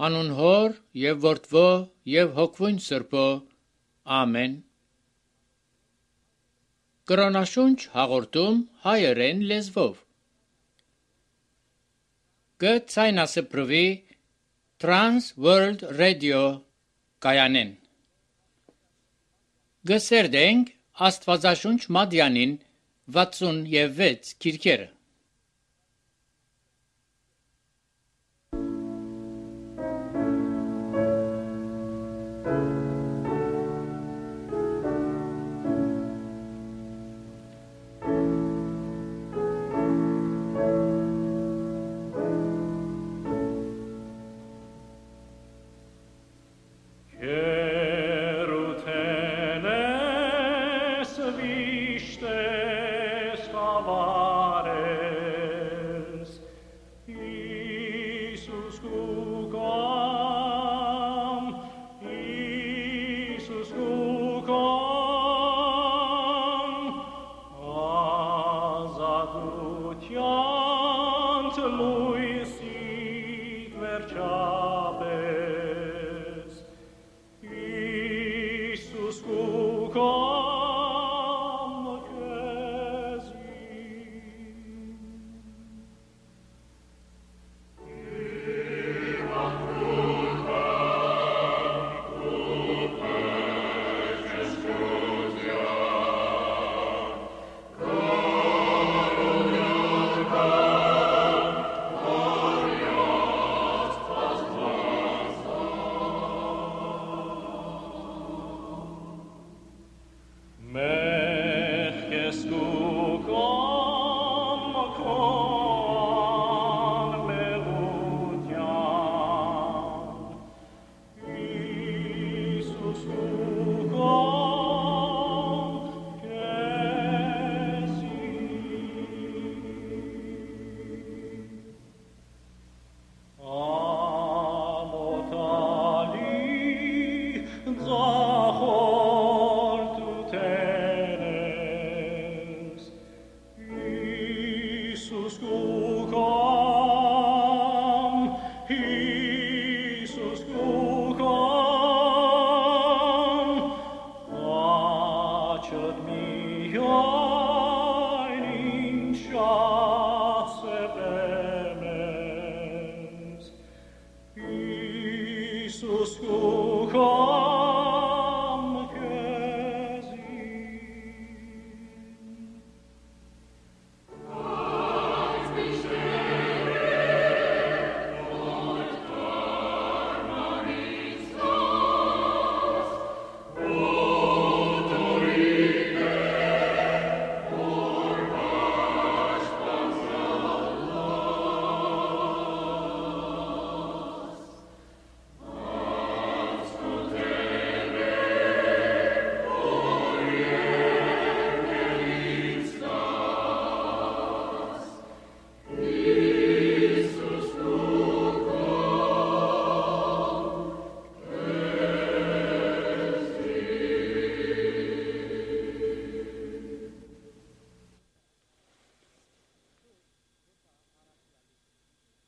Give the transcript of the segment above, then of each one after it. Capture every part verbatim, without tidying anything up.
Անուն Հոր եւ Որդվո եւ Հոգվույն Սրբո։ Ամեն։ Կրոնաշունչ հաղորդում հայերեն լեզվով։ Գցայնասպրվի Trans World Radio կայանեն։ Գսերդենք Աստվածաշունչ Մադյանին վաթսունվեց քիրքերը։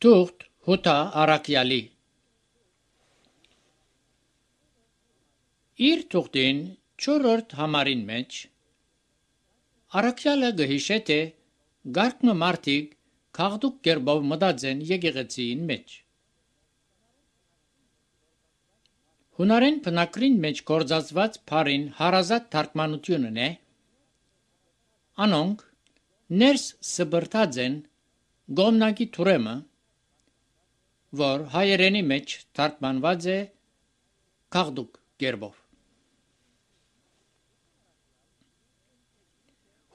Թուղթ Հութա Արաքյալի Իր թուղթին չորրորդ համարին մեջ Արաքյալը գհիշե թե գարկմը մարդիկ քաղդուկ կերպով մտածեն եկեղեցին մեջ։ Հունարեն բնակրին մեջ գործածված բառին հարազատ թարգմանությունն է, անոնք ներս սբրտած են գոմնակի թուրեմը, որ հայերենի մեջ թարգմանված է քաղդուկ կերպով։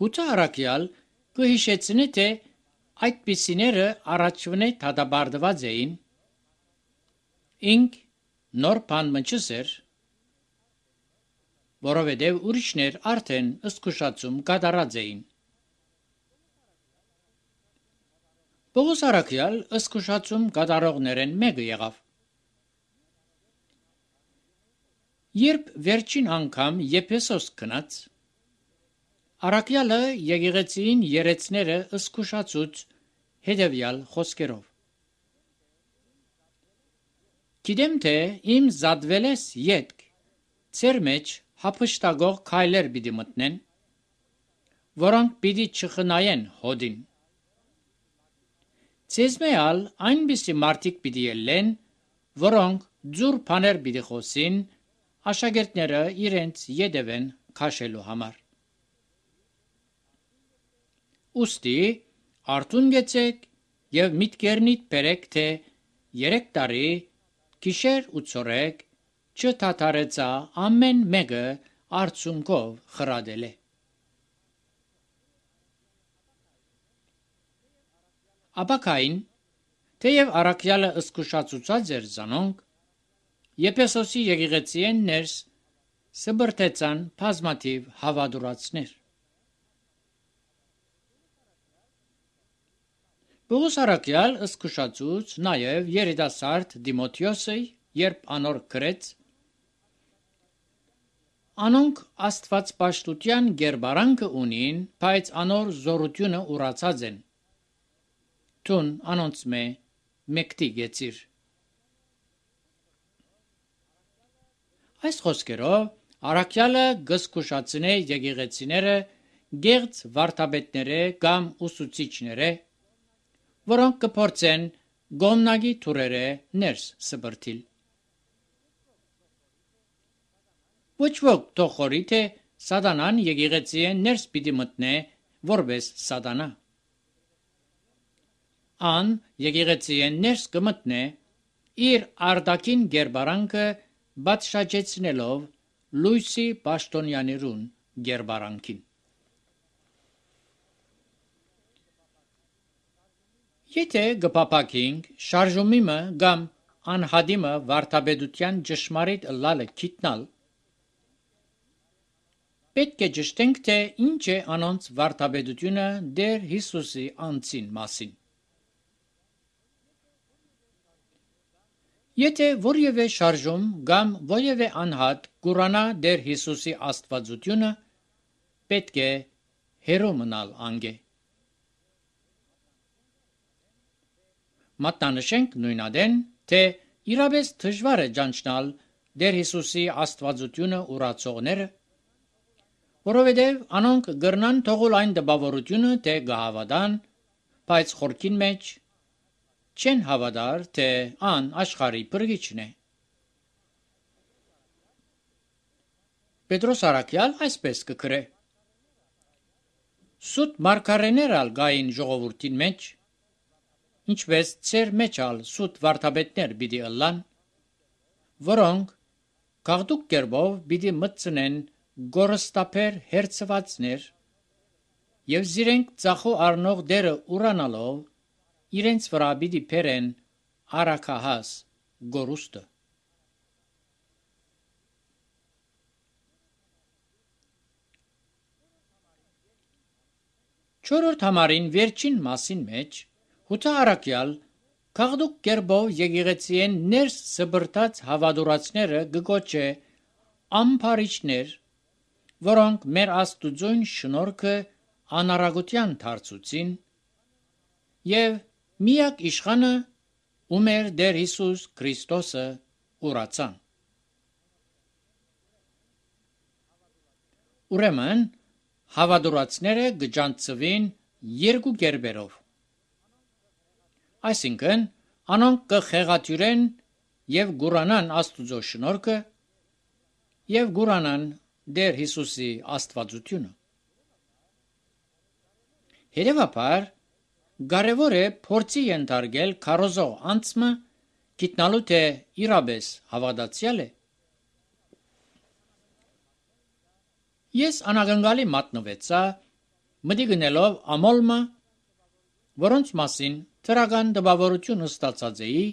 Հութա Արաքյալ կհիշեցնի, թե այդպիսիները առաջվնե դատապարտված էին, ինք նոր բան մնչսեր, որովհետև ուրիշներ արդեն զսկուշացում կատարած էին։ Պողոս Արաքյալ զսկուշացում կատարողներեն մեկը եղավ։ Երբ վերջին անգամ Եփեսոս գնաց, Արաքյալը եկեղեցին երեցները զսկուշացուց հետևյալ խոսքերով. Գիտեմ թե իմ զատվել ես ետք, ծեր մեջ հափշտագող քայլեր պիտի մտնեն, որոնք պիտի չխնայեն հոդին։ Ցեզմեալ այնպիսի մարդիկ պիտի ելեն, որոնք ձուր բաներ պիտի խոսին, աշակերտները իրենց ետևեն քաշելու համար։ Ուստի արթուն գեցեք եւ միտքերնիդ բերեք, թե երեք տարի գիշեր ու ցորեկ չթաթարեցա ամեն մեկը արցունքով խրադել է։ Ապակային, թեև առաքյալը ըսկուշացուցած էր զանոնք, Եփեսոսի եկեղեցիեն ներս սբրտեցան բազմաթիվ հավատուրացներ։ Պողոս առաքյալ ըսկուշացուց նաև երիտասարդ Դիմոթեոսը, երբ անոր գրեց. Անոնք աստվածպաշտության գերբարանքը ունին, բայց անոր զորությունը ուրացած են։ Տուն անոնց մե մեկտի գեցիր։ Այս խոսքերով առաքյալը գսկուշացնե եկեղեցիները գեղձ վարդապետները կամ ուսուցիչները, որոնք կփորձեն գոմնագի թուրերը ներս սբրտիլ։ Ոչ ոք թողորի թե սատանան եկեղեցիեն ներս պիտի մտնե որպես սատանա։ Ան եկեղեցիեն ներս կմտնե իր արտաքին գերբարանքը բացշաջեցնելով լույսի պաշտոնյաներուն գերբարանքին։ Եթե գպապակինք շարժումիմը կամ անհադիմը վարդապետության ճշմարիտ ըլլալը գիտնալ, պետք է ճշտենք, թե ինչ է անոնց վարդապետությունը դեր Հիսուսի անձին մասին։ Եթե որևէ շարժում կամ որևէ անհատ կուրանա դեր Հիսուսի աստվածությունը, պետք է հերո մնալ անգե։ Մատնանշենք նույնադեն, թե իրապես դժվար է ճանչնալ դեր Հիսուսի աստվածությունը ուրացողները, որովհետև անոնք գրնան թողել այն դպավորությունը, թե գահավադան, բայց խորքին մեջ չեն հավատար, թե ան աշխարհի փրկիչն է։ Պետրոս առաքյալ այսպես կգրե. Սուտ մարգարեներ ալ գային ժողովրդին մեջ, ինչպես ծեր մեջ ալ սուտ վարդապետներ պիտի ըլլան, որոնք գաղդուկ կերպով պիտի մտցնեն գորստապեր հերցվածներ եւ զիրենք ծախու առնող դերը ուրանալով իրենց վրա պիտի բերեն արաքահաս գորուստը։ Չորրորդ համարին վերջին մասին մեջ Հութա առաքյալ գաղդուկ կերպով եկեղեցիեն ներս սբրտած հավատուրացները գկոչե ամփարիչներ, որոնք մեր աստուծոյն շնորհքը անարագության դարձուցին եւ միակ իշխանը ու մեր Տեր Հիսուս Քրիստոսը ուրացան։ Ուրեմն հավատուրացները գճանցվին երկու կերպերով։ Այսինքն անոնք կխեղաթյուրեն եւ գուրանան աստուծո շնորհքը եւ գուրանան Տեր Հիսուսի աստվածությունը։ Հետևաբար կարևոր է փորձի ենթարկել քարոզող անձը գիտնալու թե իրապես հավատացյալ է։ Ես անագնգալի մատնվեցա մտի գնելով ամոլմը, որոնց մասին թրական դպավորություն ստացած էի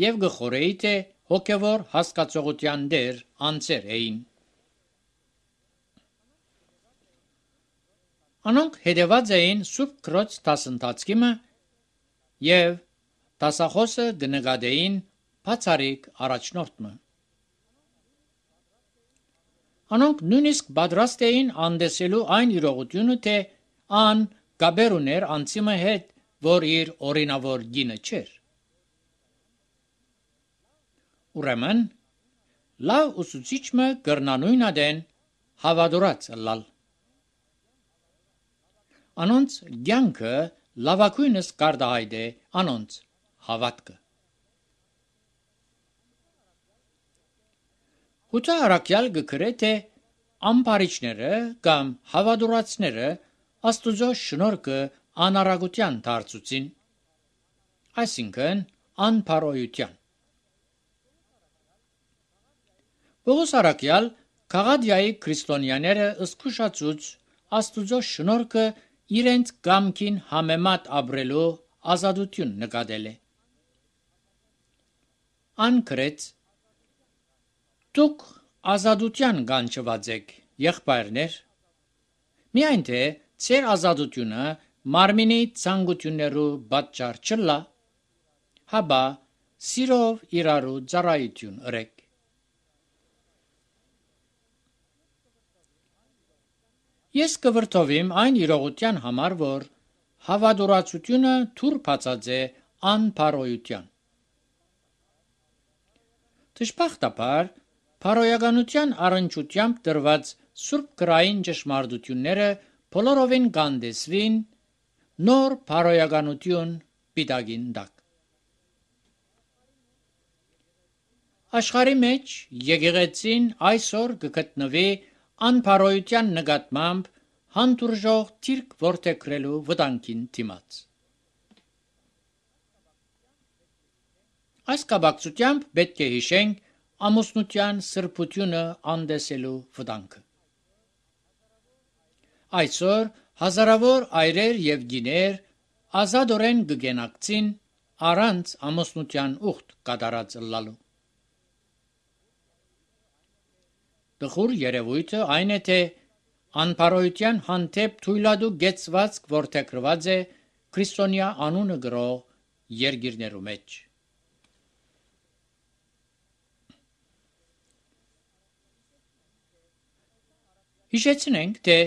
եւ գխորեի թե հոգևոր հասկացողության դեր անձեր էին։ Անոնք հետևած էին Սուրբ Քրոց դասընթացքիմը եւ դասախոսը գնկադեին բացարիք առաջնորդը։ Անոնք նույնիսկ պատրաստ էին անդեսելու այն իրողությունը, թե ան գաբեր ուներ անցիմը հետ, որ իր օրինավոր գինը չէր։ Ուրեմն լավ ուսուցիչը կրնանույն ադեն հավատուրած լալ։ Անոնց ցանկը լավակույնս կարտահայտե անոնց հավատքը։ Հուտա արաքյալ գկրե թե ամբարիչները կամ հավատուրացները Աստուծո շնորհքը անարագության դարձուցին, այսինքն անփարոյության։ Պողոս արաքյալ Գաղատիայի քրիստոնյաները ըսկուշացուց Աստուծո շնորհքը իրենց կամքին համեմատ ապրելու ազատություն նկատել է։ Անկրեց. դուք ազատության կանչված եք, եղբայրներ, միայն թե ձեր ազատությունը մարմինի ցանկություններու պատճառ չլա, հաբա սիրով իրարու ծառայություն ըրեք։ Ես կվրդովիմ այն իրողության համար, որ հավատուրացությունը թուր բացած է անփարոյության։ Դժբախտաբար, փարոյականության առնչությամբ դրված սուրբ գրային ճշմարտությունները բոլորովին կանդեսվին նոր փարոյականություն պիտակին տակ։ Աշխարհի մեջ եկեղեցին այսօր կգտնվի անփարոյության նկատմամբ հանդուրժող թիրք որդեգրելու վտանգին դիմաց։ Այս կապակցությամբ պետք է հիշենք ամուսնության սրբությունը անդեսելու վտանգը։ Այսօր հազարավոր այրեր եւ գիներ ազատորեն կգենակցին առանց ամուսնության ուխտ կատարած լալու։ Տխուր երևույթը այն է, թե անփարոյության հանդեպ թույլատու գեցվածք որդեգրված է քրիստոնյա անունը գրող երկիրներու մեջ։ Հիշեցնենք, թե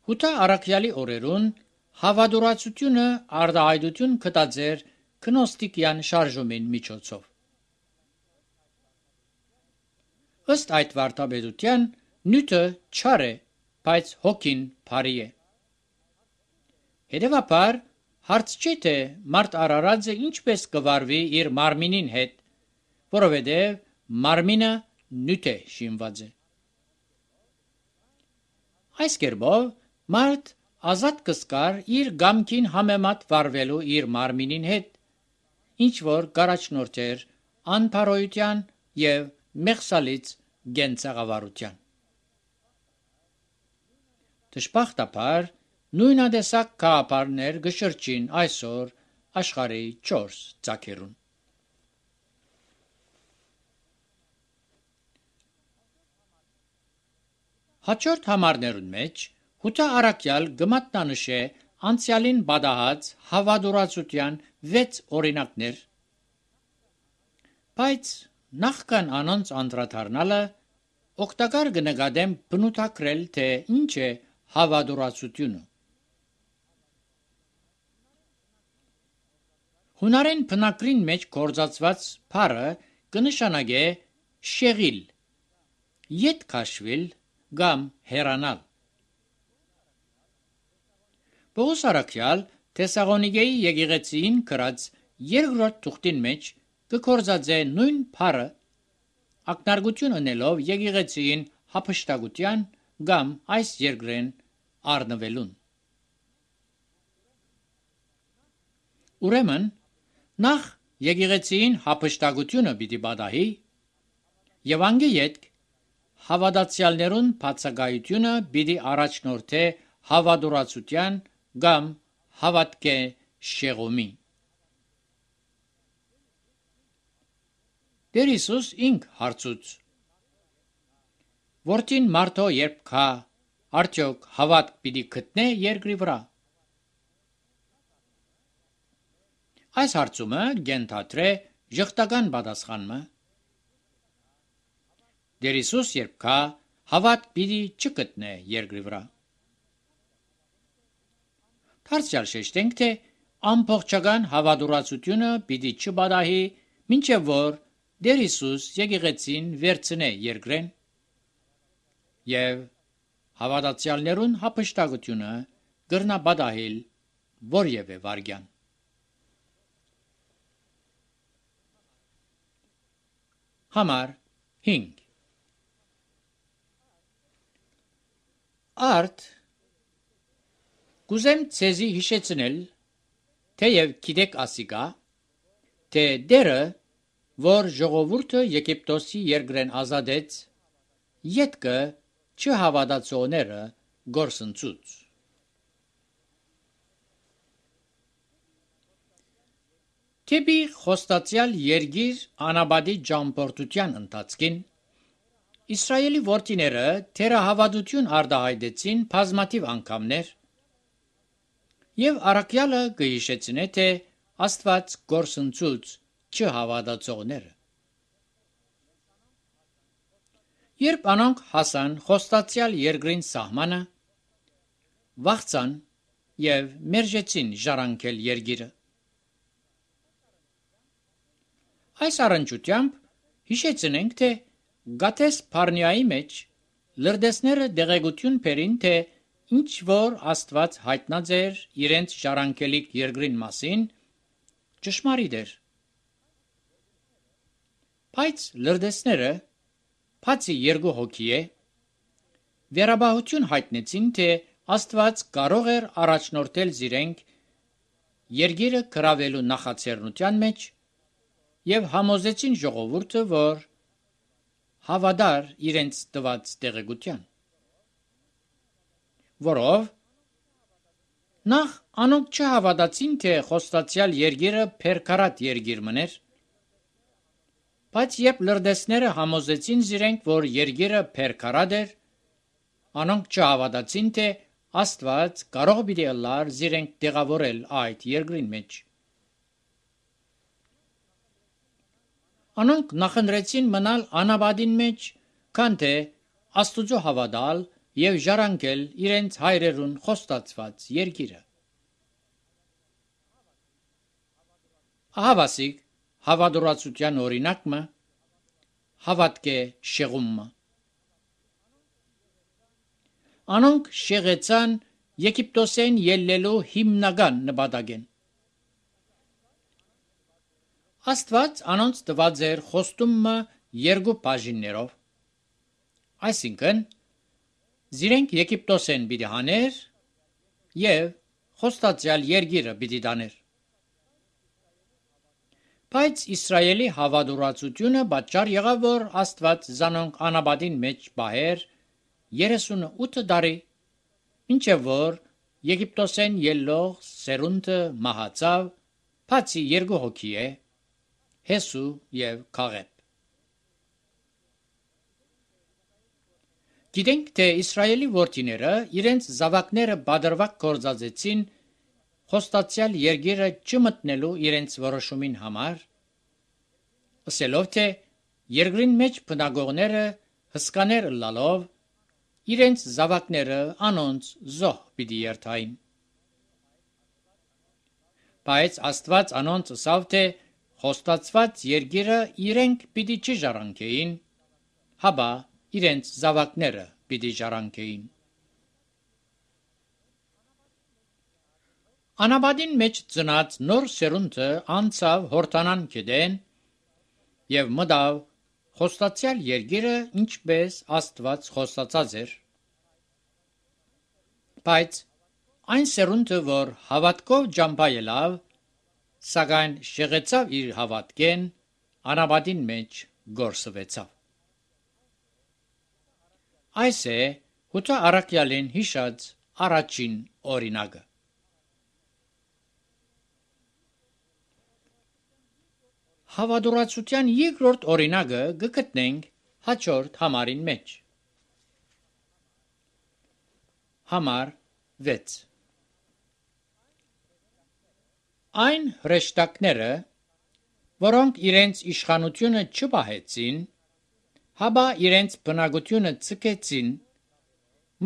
Հուտա արաքյալի օրերուն հավատուրացությունը արտահայտություն կտածեր գնոստիկյան շարժումին միջոցով։ Ըստ այդ վարդապետության նյութը չար է, բայց հոգին բարի է։ Հետևաբար հարց չէ, թե մարդ արարածը ինչպես կվարվի իր մարմինին հետ, որովհետև մարմինը նյութ է շինված է։ Այս կերպով մարդ ազատ կսկար իր գամքին համեմատ վարվելու իր մարմինին հետ, ինչ որ կառաջնորդեր անփարոյության եւ մեղսալից գենցաղավարության։ Դժբախտաբար նույնատեսակ գաղափարներ գշրջին այսօր աշխարհի չորս ծագերուն։ Հաջորդ համարներուն մեջ Հուտա արաքյալ գմատնանշե անցյալին բադահած հավատուրացության վեց օրինակներ, բայց նախքան անոնց անդրադառնալը օգտակար կնկատեմ բնութագրել, թե ինչ է հավատուրացությունը։ Հունարեն բնակրին մեջ գործածված բառը կնշանակե շեղիլ, ետ քաշվել կամ հեռանալ։ Պողոս արաքյալ Թեսաղոնիկեի եկեղեցին գրած երկրորդ թուղթին մեջ կգործածե նույն բառը, ակնարկություն ունելով եկեղեցին հափշտակության կամ այս երկրեն առնվելուն։ Ուրեմն նախ եկեղեցին հափշտակությունը պիտի պատահի եւ անգեյետ հավատացյալներուն բացակայությունը պիտի առաջնորդե հավատուրացության կամ հավատքե շեղումի։ Տեր Հիսուս ինք հարցուց. Որդին մարդո երբ կա, արդյոք հավատք պիտի գտնե երկրի վրա։ Այս հարցումը գենթատրե ժխտական պատասխանը։ Տեր Հիսուս երբ կա, հավատք պիտի չգտնե երկրի վրա։ Դարձյալ շեշտենք, թե ամբողջական հավատուրացությունը պիտի չպատահի, մինչև որ Դեր Հիսուս եկեղեցին վերցնե երկրեն եւ հավատացյալներուն հապշտակությունը գրնա բադահել որևէ վարգյան։ Համար հինգ Արդ կուզեմ ցեզի հիշեցնել, թեև գիտեք ասիկա, թե դերը, որ ժողովուրդը Եգիպտոսի երկրեն ազատեց, ետքը չհավատացողները գործընծուց։ Թեպի խոստացյալ երգիր անաբադի ճամփորդության ընթացքին Իսրայելի որդիները թերահավատություն արտահայտեցին բազմաթիվ անգամներ եւ առաքյալը կհիշեցնե, թե Աստված գործընծուց չհավատացողները։ Երբ անոնք հասան խոստացյալ երկրին սահմանը, վախցան եւ մերժեցին ժառանգել երգիրը։ Այս առնչությամբ հիշեցնենք, թե Գաթես Փարնիայի մեջ լրդեսները դեղեցություն բերին, թե ինչ որ Աստված հայտնած էր իրենց ժառանգելիք երկրին մասին, ճշմարիտ էր։ Բայց լրդեսները, բացի երկու հոգի է, վերաբահություն հայտնեցին, թե Աստված կարող էր առաջնորդել զիրենք երկիրը գրավելու նախաձեռնության մեջ եւ համոզեցին ժողովուրդը, որ հավատար իրենց տված տեղեկության, որով նախ անոնք չհավատացին, թե խոստացյալ երկիրը փերքարատ երկիր մներ, բայց երբ լրդեսները համոզեցին զիրենք, որ երկիրը փերքարատ էր, անոնք չհավատացին, թե Աստված կարող պիտի ըլլար զիրենք տեղավորել այդ երկրին մեջ։ Անոնք նախընտրեցին մնալ անաբադին մեջ, քան թե Աստուծո հավատալ եւ ժառանգել իրենց հայրերուն խոստացված երկիրը։ Ահավասիկ հավատուրացության օրինակը հավատք է շեղումը։ Անոնք շեղեցան Եգիպտոսեն ելնելու հիմնական նպատակեն։ Աստված անոնց տված էր խոստումը երկու բաժիններով, այսինքն զիրենք Եգիպտոսեն պիտի հաներ եւ խոստացյալ երկիրը պիտի տաներ։ Բայց Իսրայելի հավատուրացությունը պատճառ եղավ, որ Աստված զանոնք անաբադին մեջ բահեր երեսունութ տարի, մինչև որ Եգիպտոսեն ելլող սերունդը մահացավ, բացի երկու հոգի է, Հեսու եւ Քաղեբ։ Գիտենք, թե Իսրայելի որդիները իրենց զավակները բادرվակ գործածեցին խոստացյալ երկիրը չմտնելու իրենց որոշումին համար, ասելով, թե երկրին մեջ բնակողները հսկաներ ըլլալով իրենց զավակները անոնց զոհ պիտի երթային։ Բայց Աստված անոնց ասավ, թե խոստացված երկիրը իրենք պիտի չժառանգեին, հաբա իրենց զավակները պիտի ժառանգեին։ Անաբադին մեջ ծնած նոր սերունդը անցավ Հորդանան գետեն եւ մտավ խոստացյալ երկիրը, ինչպես Աստված խոստացած էր։ Բայց այն սերունդը, որ հավատքով ճամփայելավ, սակայն շեղեցավ իր հավատքեն, անաբադին մեջ գործվեցավ։ Այս է հութա առաքյալին հիշած առաջին օրինակը։ Հավատուրացության երկրորդ օրինակը գտնենք հաջորդ համարին մեջ։ Համար վեց Այն հրեշտակները, որոնք իրենց իշխանությունը չպահեցին, հաբա իրենց բնակությունը ցկեցին,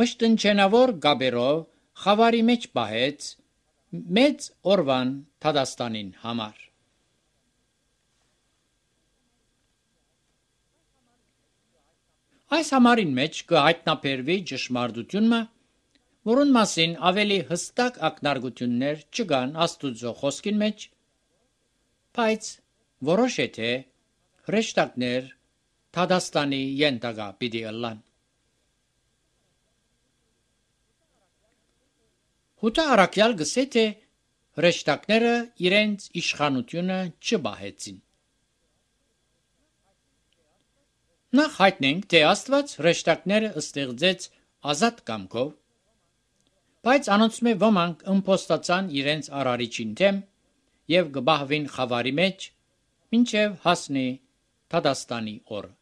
մշտնջենավոր գաբերով խավարի մեջ պահեց մեծ օրվան Թադաստանին համար։ Այս համարին մեջ կհայտնաբերվի ճշմարտությունը, որուն մասին ավելի հստակ ակնարկություններ չկան Աստուծո խոսքին մեջ, բայց որոշ է թե հրեշտակներ Թադաստանի ենթակա պիտի ըլլան։ Հութա առաքյալ գսե թե հրեշտակները իրենց իշխանությունը չբահեցին։ Նախ հայտնենք, թե Աստված հրեշտակները ստեղծեց ազատ կամքով, բայց անոնցմե ոմանք ըմփոստացան իրենց արարիչին դեմ եւ գբահվին խավարի մեջ, մինչեւ հասնի Թադաստանի օրը։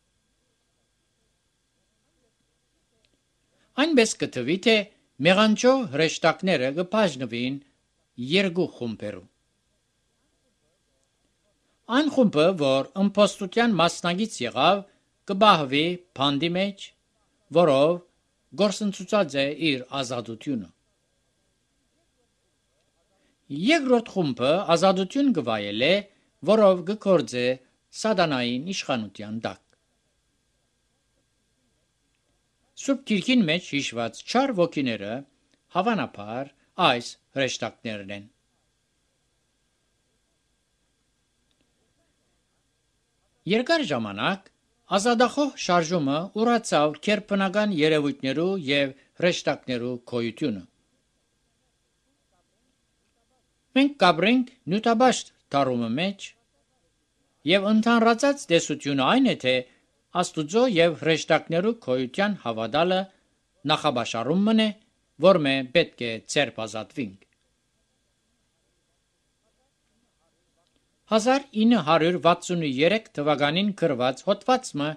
Այնպես կթվի, թե մեղանչո հրեշտակները կբաժնվին երկու խումբերու։ Այն խումբը, որ ըմփոստության մասնագից եղավ, կբահվի փանդի մեջ, որով գործընծուցած է իր ազատությունը։ Երկրորդ խումբը ազատություն կվայելե, որով կգործե սատանային իշխանության տակ։ Սուրբ Գիրքին մեջ հիշված չար ոգիները հավանաբար այս հրեշտակներն են։ Երկար ժամանակ ազատախոհ շարժումը ուրացավ քերբնական երևույթներու եւ հրեշտակներու գոյությունը։ Մենք կաբրենք նյութաբաշտ դարումը մեջ եւ ընդհանրացած տեսությունը այն է, թե Աստուծո եւ հրեշտակներու գոյության հավատալը նախաբաշարում մնե, որ մե պետք է ցերպազատվինք։ հազար ինը հարյուր վաթսունուերեք թվականին գրված հոդվածը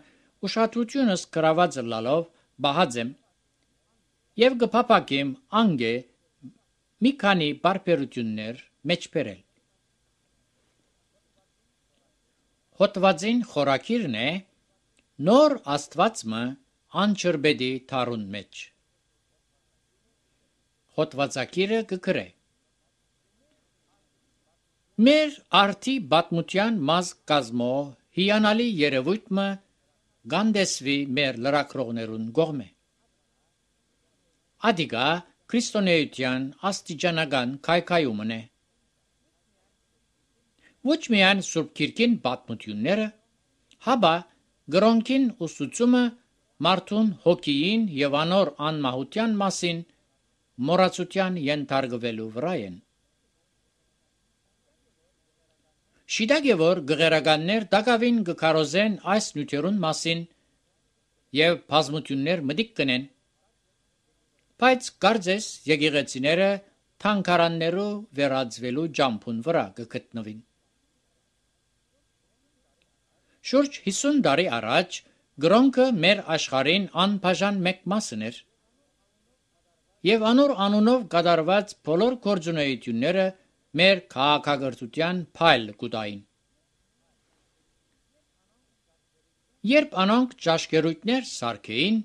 ուշադրությունս գրաված լալով բահածեմ եւ կփապակեմ անգե մի քանի բարբերություններ մեջբերել։ Հոդվածին խորակիրն է նոր Աստվածը անչրբեդի թարուն մեջ։ Հոդվածակիրը կգրե. Մեր արդի բատմության մազկ կազմո հիանալի երևույթը գանդեսվի մեր լրակրողներուն կողմէ։ Ադիգա քրիստոնեության աստիճանական քայքայումն է։ Ոչ միայն Սուրբ Գիրքին պատմությունները, հաբա գրոնքին ուսուցումը մարդուն հոգիին եւ անոր անմահության մասին մոռացության ենթարկվելու վրա են։ Շիդագ է, որ գղերականներ դակավին կքարոզեն այս նյութերուն մասին եւ բազմություններ մտիկ կնեն, բայց կարծես եկեղեցիները թանգարաններու վերածվելու ջամփուն վրա կգտնվին։ Շուրջ հիսուն տարի առաջ գրոնքը մեր աշխարհին անբաժան մեկ մասն էր եւ անոր անունով կատարված բոլոր գործունեությունները մեր քաղաքակրթության փայլ կուտային։ Երբ անոնք ճաշկերույթներ սարքեին,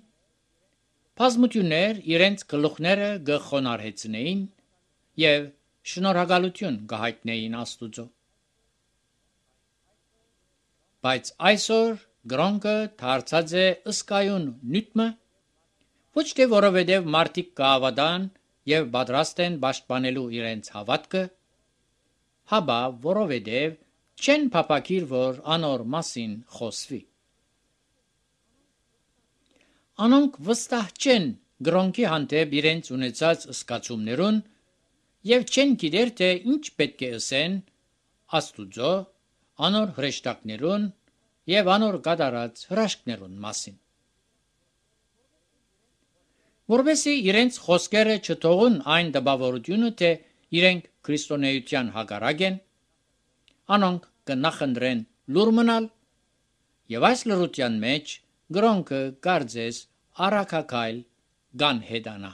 բազմություններ իրենց գլուխները կխոնարհեցնեին եւ շնորհակալություն կհայտնեին Աստուծո։ Բայց այսօր գրոնքը դարձած է ըսկայուն նյութը, ոչ թե որովհետև մարդիկ կհավատան եւ պատրաստ են պաշտպանելու իրենց հավատքը, հաբա որովհետև չեն փապակիր, որ անոր մասին խոսվի։ Անոնք վստահ չեն գրոնքի հանդեպ իրենց ունեցած զգացումներուն եւ չեն գիտեր, թե ինչ պետք է ասեն Աստուծո, անոր հրեշտակներուն եւ անոր կատարած հրաշքներուն մասին։ Որովհետեւ իրենց խոսքերը չթողուն այն դպավորությունը, թե իրենք քրիստոնեության հակառակ են, անոնք կնախընտրեն լուր մնալ եւ այս լրության մեջ գրոնքը կարծես արաքակայլ գանհետանա։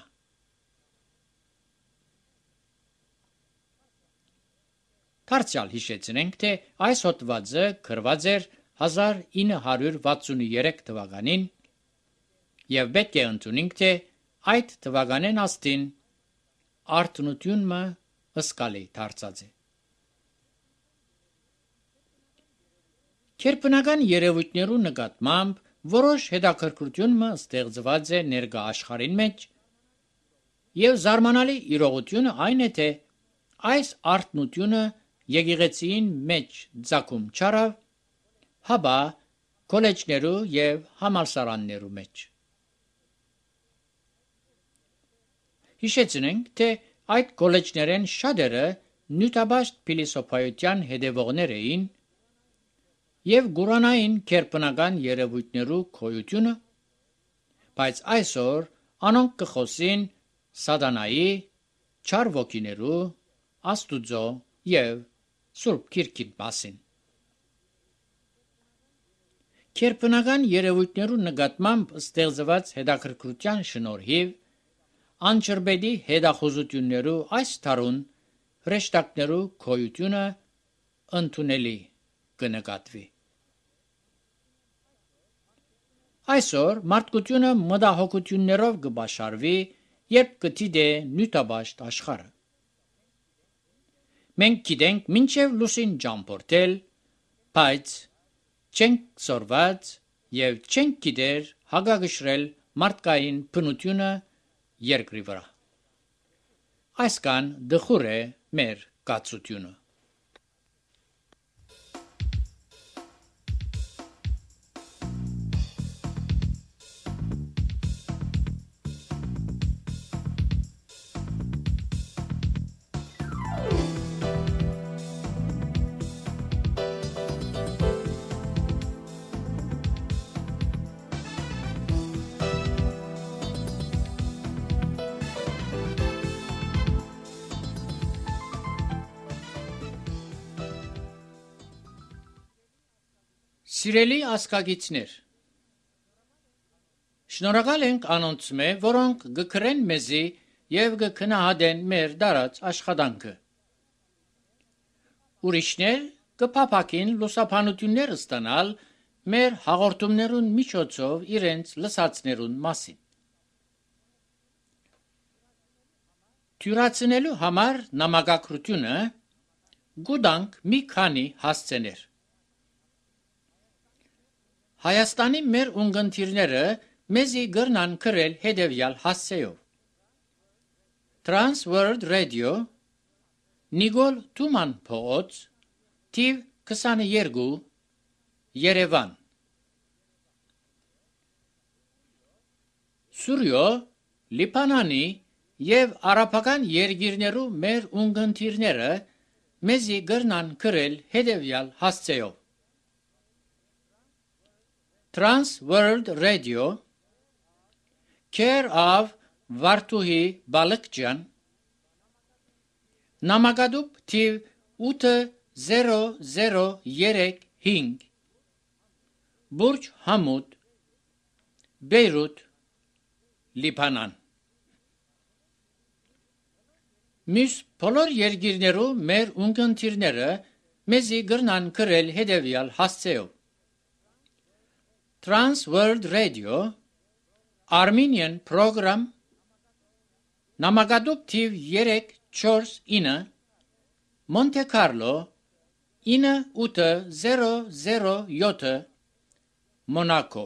Դարձյալ հիշեցնենք, թե այս հոդվածը գրված էր հազար ինը հարյուր վաթսունուերեք թվականին եւ պետք է ընդունենք, թե այդ թվականեն աստին արթնությունը ըսկալի դարձած է։ Քերբնական երևույթներու նկատմամբ որոշ հետաքրքրություն մը ստեղծված է ներկա աշխարհին մեջ, եւ զարմանալի իրողությունը այն է, թե այս արթնությունը եկեղեցին մեջ ցակում չարավ, հաբա կոլեջներու եւ համալսարաններու մեջ։ Հիշեցնենք, թե այդ կոլեջներեն շատերը նյութաբաշտ փիլիսոփայության հետևողներ էին եւ գուրանային քերպնական երևույթներու քոյությունը, բայց այսօր անոնք կխոսին սատանայի, չար ոգիներու, աստուծո եւ Սուրբ Քիրքին մասին։ Քերպնական երևույթներու նկատմամբ ստեղծված հետաքրքրության շնորհիվ անջրբետի հետախուզություններու այս թարուն հրեշտակներու քոյությունը ընդունելի կնկատվի։ Այսօր մարդկությունը մտահոգություններով կբաշարվի, երբ կդիտե նյութաբաշտ աշխարհը։ Մենք գիտենք մինչև լուսին ճամփորդել, բայց չենք սորված եւ չենք գիտեր հագագշրել մարդկային բնությունը երկրի վրա։ Այսքան դխուր է մեր կացությունը։ Սիրելի ասկագիցներ, շնորհակալ ենք անոնց մե, որոնք գկրեն մեզի եւ գքնահատեն մեր դարած աշխատանքը։ Ուրիշներ կփափակին լուսաբանություններ ստանալ մեր հաղորդումներուն միջոցով իրենց լսածներուն մասին։ Թյուրացնելու համար նամակագրությունը գուտանք մի քանի հասցեներ։ Հայաստանի մեր ունգընտիրները մեզի գրնան գրել հետևյալ հասցեով։ Trans World Radio, Նիգոլ Թուման փողոց, թիվ քսաներկու, Երևան։ Սուրյո, Լիբանանի եւ արաբական երկիրներու մեր ունգընտիրները մեզի գրնան գրել հետևյալ հասցեով։ Trans World Radio, Care of Վարդուհի Բալկջյան, Նամակադուբ թիվ ութ զերո զերո երեք հինգ, Բուրջ Համուդ, Բեյրութ, Լիբանան։ Մյուս բոլոր երկիրներու մեր ունգընտիրները մեզի գրնան գրել հետևյալ հասցեով։ Trans World Radio, Armenian Program, Նամակադուբ թիվ երեք չորս ինը, Monte Carlo, ինը ութ զերո զերո յոթ, Monaco։